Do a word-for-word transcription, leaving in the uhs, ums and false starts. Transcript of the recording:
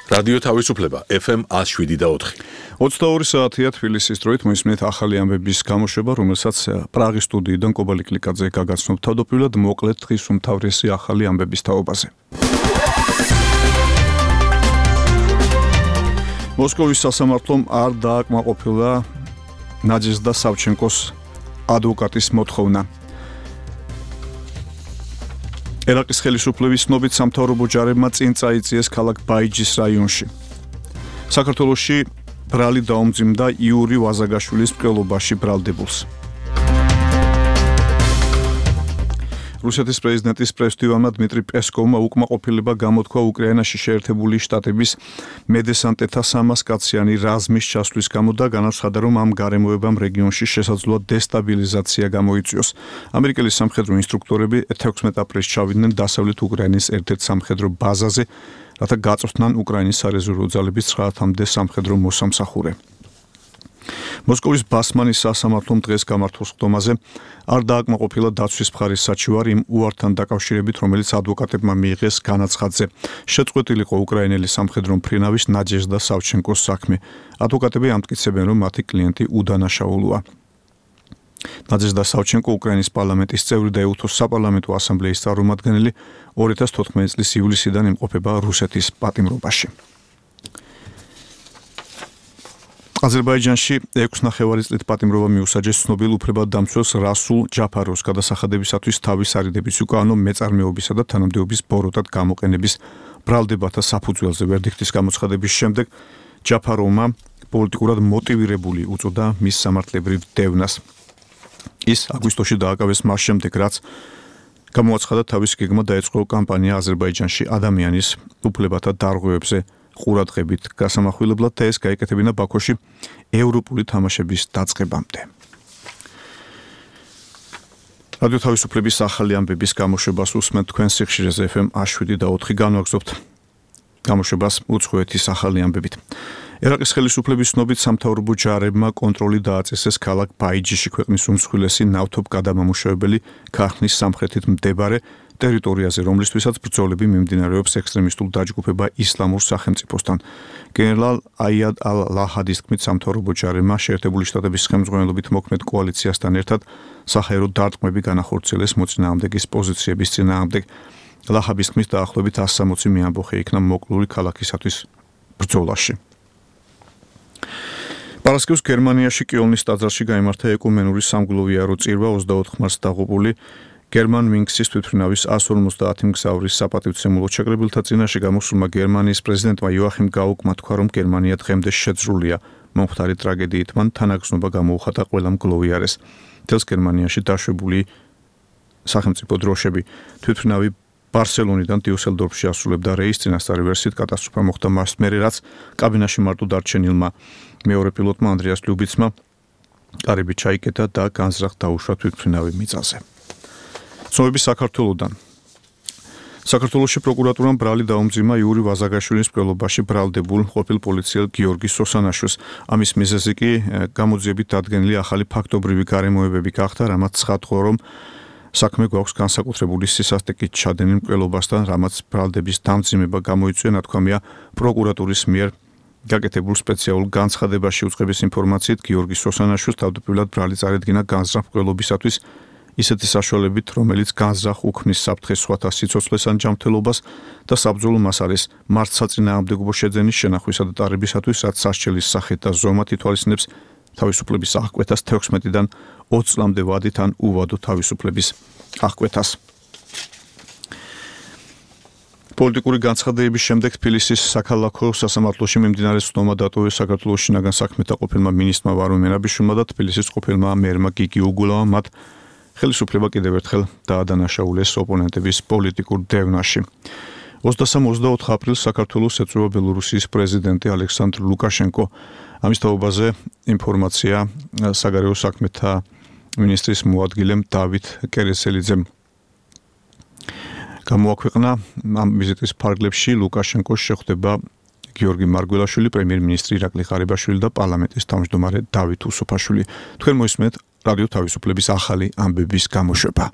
რადიო თავისუფლება ეფ ემ one oh seven და four. ოცდაორი საათია თბილისის დროით მოისმენთ ახალი ამბების გამოშვება, რომელსაც პრაღის სტუდიიდან კობალი კლიკაძე გაგაცნობ. თავდაპირველად მოკლედ დღის უმთავრესი ახალი ამბების თაობაზე. მოსკოვის სასამართლომ არ დააკმაყოფილა ნაჯეზდა სავჩენკოს ადვოკატის მოთხოვნა. ერაყის ხელისუფლების ცნობით სამთავრობო ჯარებმა წინ წაიწიეს ქალაქ ბაიჯის რაიონში. საქართველოში ბრალი დაუმძიმდა იური ვაზაგაშვილის მკვლელობაში ბრალდებულს. რუსეთის პრეზიდენტის პრესდივანმა დმიტრი პესკოვმა უკმაყოფილება გამოთქვა უკრაინაში შეერთებული შტატების მედესანტეთა სამას კაციანი რაზმის ჩასვლის გამო და განაცხადა, რომ ამ გარემოებამ რეგიონში შესაძლოა დესტაბილიზაცია გამოიწვიოს. ამერიკელი სამხედრო ინსტრუქტორები თექვსმეტ აპრილს ჩავიდნენ დასავლეთ უკრაინის ერთ-ერთ სამხედრო ბაზაზე, რათა გაწვრთნან უკრაინის სარეზერვო ძალების ცხრაათამდე სამხედრო მოსამსახურე. მოსკოვის ბასმანის სასამართლომ დღეს გამართულ სხდომაზე არ დააკმაყოფილა დაცვის მხარის საჩივარი იმ უართან დაკავშირებით, რომელიც ადვოკატებმა მიიღეს განაცხადზე. შეწყვეტილიყო უკრაინელი სამხედრო მფრინავის ნაჯეზდა სავჩენკოს საქმე. ადვოკატები ამტკიცებენ, რომ მათი კლიენტი უდანაშაულოა. ნაჯეზდა სავჩენკო უკრაინის პარლამენტის წევრი და ეუთოს საპარლამენტო ასამბლეის წარმომადგენელი ორი ათას თოთხმეტი წლის ივლისიდან იმყოფება რუსეთის პატიმრობაში. აზერბაიჯანში ექვს ნახევარი წლით პატიმრობა მიუსაჯეს ცნობილ უფლებადდამცველს რასულ ჯაფაროვს გადასახადებისათვის თავის არიდების უკანონო მეწარმეობისა და თანამდებობის ბოროტად გამოყენების ბრალდებათა საფუძველზე. ვერდიქტის გამოცხადების შემდეგ ჯაფაროვმა პოლიტიკურად მოტივირებული უწოდა მის სამართლებრივ დევნას. ის აგვისტოში დააკავეს მას შემდეგ, რაც გამოაცხადა თავის გეგმა დაეწყო კამპანია აზერბაიჯანში ადამიანის უფლებათა დარღვევებზე ყურადღებით გასამახვილებლად და ეს გაიკეთებინა ბაქოში ევროპული თამაშების დაწყებამდე. რადიო თავისუფლების ახალი ამბების გამოშვებას უსმენთ თქვენ სიხშირეზე ეფ ემ one oh seven და four განვაგრძობთ გამოშვებას უცხოეთის ახალი ამბებით. ერაყის ხელისუფლების ცნობით სამთავრობო ჯარებმა კონტროლი დააწესეს ქალაქ ბაიჯიში, ქვეყნის უმსხვილესი ნავთობგადამამუშავებელი ქარხნის სამხრეთით მდებარე ტერიტორიაზე, რომლისთვისაც ბრძოლები მიმდინარეობს ექსტრემისტულ დაჯგუფება ისლამურ სახელმწიფოსთან. გენერალ აიად ალ-ლაჰადის თქმით, სამთავრობო ჯარებმა შეერთებული შტატების ხელმძღვანელობით მოქმედ კოალიციასთან ერთად საჰაერო დარტყმები განახორციელეს მოწინააღმდეგის პოზიციების წინააღმდეგ. ლაჰაბის თქმით, დაახლოებით one hundred sixty მეამბოხე იქნა მოკლული ქალაქისათვის ბრძოლაში. პარასკევს გერმანიაში კიოლნის ტაძარში გაიმართა ეკუმენური სამგლოვიარო წირვა ოცდაოთხ მარტს დაღუპული გერმან ვინქსის თვითმფრინავის one hundred fifty მგზავრის საპატივცემულო ჩაკრებილთა წინაშე გამოსულმა გერმანიის პრეზიდენტმა იოახიმ გაუკმა თქვა, რომ გერმანია დღემდე შეძრულია მომხდარი ტრაგედიით. მან თანაგზნობა გამოუხატა ყველა მგლოვიარეს. მთელს გერმანიაში დაშვებული სახელმწიფო დროშები თვითმფრინავი ბარსელონიდან დიუსელდორფში ასრულებდა რეისს. წინასწარი ვერსიით კატასტროფა მოხდა მას მერე, რაც კაბინაში მარტო დარჩენილმა მეორე პილოტმა ანდრიას ლიუბიცმა კარები ჩაიკეტა და განზრახ დაუშვა თვითმფრინავი მიწაზე. ცნობები საქართველოდან. საქართველოში პროკურატურამ ბრალი დაუმძიმა იური ვაზაგაშვილის მკვლელობაში ბრალდებულ ყოფილ პოლიციელ გიორგი სოსანაშვილს. ამის მიზეზი კი გამოძიებით დადგენილი ახალი ფაქტობრივი გარემოებები გახდა, რამაც ცხადყო, რომ საქმე გვაქვს განსაკუთრებული სისასტიკით ჩადენილ მკვლელობასთან, რამაც ბრალდების დამძიმება გამოიწვია, ნათქვამია პროკურატურის მიერ გაკეთებულ სპეციალურ განცხადებაში. უწყების ინფორმაციით გიორგი სოსანაშვილს თავდაპირველად ბრალი წარედგინა განზრახ მკვლელობისათვის ისეთი საშუალებით, რომელიც განზრახ უქმნის საფრთხეს სხვათა სიცოცხლეს ან ჯანმრთელობას და საბრძოლო მას არის მართლსაწინააღმდეგო შეძენის შენახვისა და ტარებისათვის, რაც სასჯელის სახით და ზომად ითვალისწინებს თავისუფლების აღკვეთას თექვსმეტიდან ოცი წლამდე ვადით ან უვადო თავისუფლების აღკვეთას. პოლიტიკური განცხადებების შემდეგ თბილისის საქალაქო სასამართლოში მიმდინარე სხდომა დატოვეს საქართველოს შინაგან საქმეთა ყოფილმა მინისტრმა ვარუმ მერაბიშვილმა და თბილისის ყოფილმა მერმა გიგი უგულავამ. მათ ხელისუფლება კიდევ ერთხელ დაადანაშაულეს ოპონენტების პოლიტიკურ დევნაში. ოცდასამ ოცდაოთხ აპრილს საქართველოს ეწვევა ბელორუსიის პრეზიდენტი ალექსანდრ ლუკაშენკო. ამის თაობაზე ინფორმაცია საგარეო საქმეთა მინისტრის მოადგილემ დავით კერესელიძემ გამოაქვეყნა. ამ ვიზიტის ფარგლებში ლუკაშენკოს შეხვდება გიორგი მარგველაშვილი, პრემიერ-მინისტრი ირაკლი ღარიბაშვილი და პარლამენტის თავმჯდომარე დავით უსუფაშვილი. თქვენ მოისმენთ რადიო თავისუფლების ახალი ამბების გამოშვება.